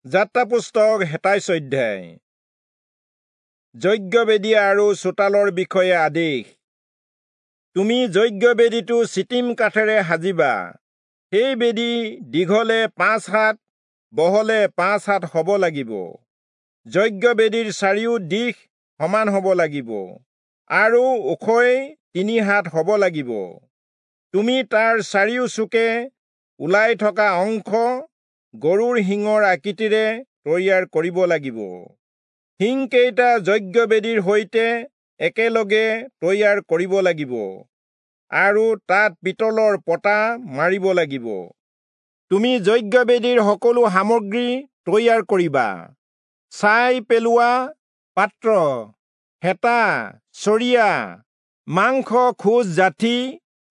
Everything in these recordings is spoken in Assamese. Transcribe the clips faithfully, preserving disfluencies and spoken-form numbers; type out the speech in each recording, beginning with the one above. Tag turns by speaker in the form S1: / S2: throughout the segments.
S1: যাত্ৰা পুস্তক সাতাইশ অধ্যায়। যজ্ঞবেদী আৰু চোতালৰ বিষয়ে আদেশ। তুমি যজ্ঞবেদীটো চিটিম কাঠেৰে সাজিবা। সেই বেদী দীঘলে পাঁচ হাত, বহলে পাঁচ হাত হ'ব লাগিব। যজ্ঞবেদীৰ চাৰিও দিশ সমান হ'ব লাগিব আৰু ওখই তিনি হাত হ'ব লাগিব। তুমি তাৰ চাৰিও চুকে ওলাই থকা অংশ গৰুৰ শিঙৰ আকৃতিৰে তৈয়াৰ কৰিব লাগিব। শিংকেইটা যজ্ঞবেদীৰ সৈতে একেলগে তৈয়াৰ কৰিব লাগিব আৰু তাত পিতলৰ পতা মাৰিব লাগিব। তুমি যজ্ঞবেদীৰ সকলো সামগ্ৰী তৈয়াৰ কৰিবা: ছাই পেলোৱা পাত্ৰ, হেতা, চৰিয়া, মাংস খোজ যাঠি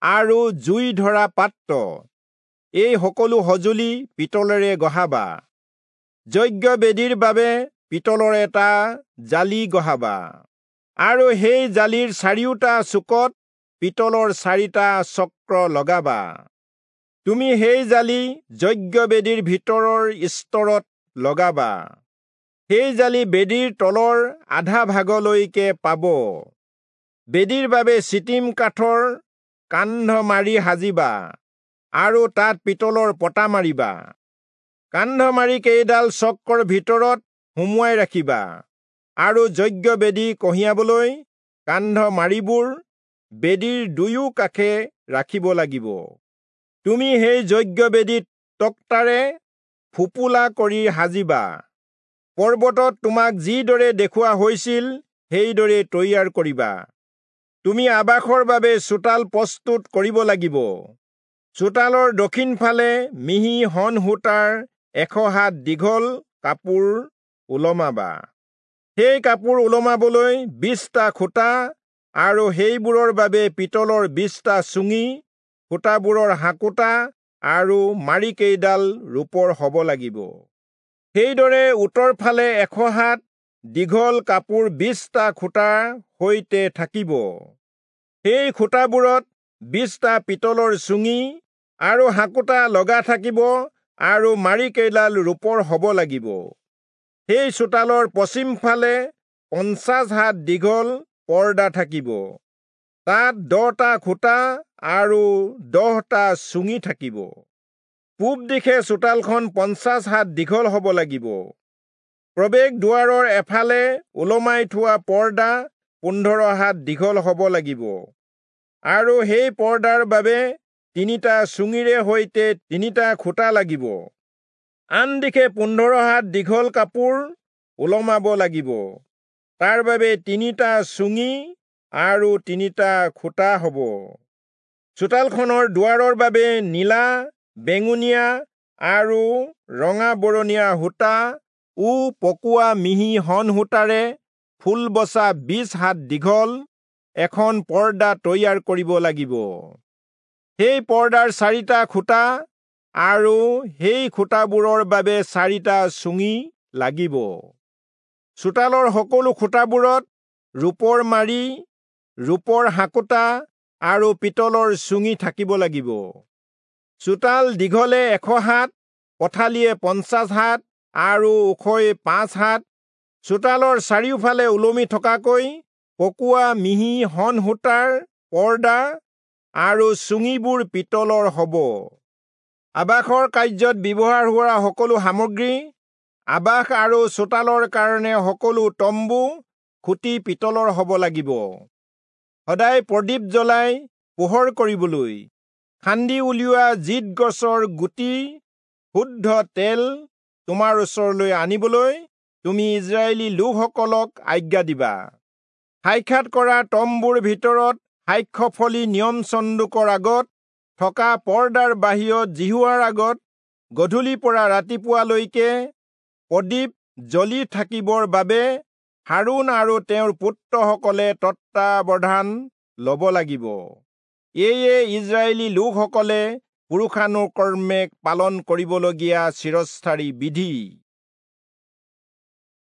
S1: আৰু জুই ধৰা পাত্ৰ। এই সকলো সঁজুলি পিতলেৰে গঢ়াবা। যজ্ঞবেদীৰ বাবে পিতলৰ এটা জালি গঢ়াবা আৰু সেই জালিৰ চাৰিওটা চুকত পিতলৰ চাৰিটা চক্ৰ লগাবা। তুমি সেই জালি যজ্ঞবেদীৰ ভিতৰৰ স্তৰত লগাবা। সেই জালি বেদীৰ তলৰ আধা ভাগলৈকে পাব। বেদীৰ বাবে চিটিম কাঠৰ কান্ধ মাৰি সাজিবা আৰু তাত পিতলৰ পতা মাৰিবা। কান্ধ মাৰি কেইডাল চক্ৰৰ ভিতৰত সুমুৱাই ৰাখিবা আৰু যজ্ঞবেদী কঢ়িয়াবলৈ কান্ধ মাৰিবোৰ বেদীৰ দুয়ো কাষে ৰাখিব লাগিব। তুমি সেই যজ্ঞবেদীত তক্তাৰে ফোঁপোলা কৰি সাজিবা। পৰ্বতত তোমাক যিদৰে দেখুওৱা হৈছিল সেইদৰে তৈয়াৰ কৰিবা। তুমি আবাসৰ বাবে চোতাল প্ৰস্তুত কৰিব লাগিব। চোতালৰ দক্ষিণ ফালে মিহি শণ সূতাৰ এশ হাত দীঘল কাপোৰ ওলমাবা। সেই কাপোৰ ওলমাবলৈ বিশটা খুঁটা আৰু সেইবোৰৰ বাবে পিতলৰ বিশটা চুঙি, খুঁটাবোৰৰ হাঁকোটা আৰু মাৰিকেইডাল ৰূপৰ হ'ব লাগিব। সেইদৰে উত্তৰ ফালে এশ হাত দীঘল কাপোৰ বিশটা খুঁটাৰ সৈতে থাকিব। সেই খুঁটাবোৰত বিশটা পিতলৰ চুঙি আৰু হাঁকোটা লগা থাকিব আৰু মাৰিকেইডাল ৰূপৰ হ'ব লাগিব। সেই চোতালৰ পশ্চিম ফালে পঞ্চাশ হাত দীঘল পৰ্দা থাকিব। তাত দহটা খুঁটা আৰু দহটা চুঙি থাকিব। পূব দিশে চোতালখন পঞ্চাশ হাত দীঘল হ'ব লাগিব। প্ৰৱেশ দুৱাৰৰ এফালে ওলমাই থোৱা পৰ্দা পোন্ধৰ হাত দীঘল হ'ব লাগিব আৰু সেই পৰ্দাৰ বাবে তিনিটা চুঙিৰে সৈতে তিনিটা খুঁটা লাগিব। আন দিশে পোন্ধৰ হাত দীঘল কাপোৰ ওলমাব লাগিব। তাৰ বাবে তিনিটা চুঙি আৰু তিনিটা খুঁটা হ'ব। চোতালখনৰ দুৱাৰৰ বাবে নীলা, বেঙুনীয়া আৰু ৰঙা বৰণীয়া সূতা ও পকোৱা মিহি শণ সূতাৰে ফুল বচা বিশ হাত দীঘল এখন পৰ্দা তৈয়াৰ কৰিব লাগিব। সেই পৰ্দাৰ চাৰিটা খুঁটা আৰু সেই খুঁটাবোৰৰ বাবে চাৰিটা চুঙি লাগিব। চোতালৰ সকলো খুঁটাবোৰত ৰূপৰ মাৰি, ৰূপৰ হাঁকোটা আৰু পিতলৰ চুঙি থাকিব লাগিব। চোতাল দীঘলে এশ হাত, পথালিয়ে পঞ্চাশ হাত আৰু ওখই পাঁচ হাত। চোতালৰ চাৰিওফালে ওলমি থকাকৈ পকোৱা মিহি শণ সূতাৰ পৰ্দা আৰু চুঙিবোৰ পিতলৰ হ'ব। আবাসৰ কাৰ্যত ব্যৱহাৰ হোৱা সকলো সামগ্ৰী, আবাস আৰু চোতালৰ কাৰণে সকলো তম্বু খুঁটি পিতলৰ হ'ব লাগিব। সদায় প্ৰদীপ জ্বলাই পোহৰ কৰিবলৈ খান্দি উলিওৱা জিত গছৰ গুটি শুদ্ধ তেল তোমাৰ ওচৰলৈ আনিবলৈ তুমি ইজৰাইলী লোকসকলক আজ্ঞা দিবা। সাক্ষাৎ কৰা তম্বুৰ ভিতৰত সাক্ষ্যফলি নিয়ম চন্দুকৰ আগত থকা পৰ্দাৰ বাহিৰত যিহোৱাৰ আগত গধূলিৰ পৰা ৰাতিপুৱালৈকে প্ৰদীপ জ্বলি থাকিবৰ বাবে হাৰোণ আৰু তেওঁৰ পুত্ৰসকলে তত্বাৱধান ল'ব লাগিব। এয়ে ইজৰাইলী লোকসকলে পুৰুষানুক্ৰমে পালন কৰিবলগীয়া চিৰস্থায়ী বিধি।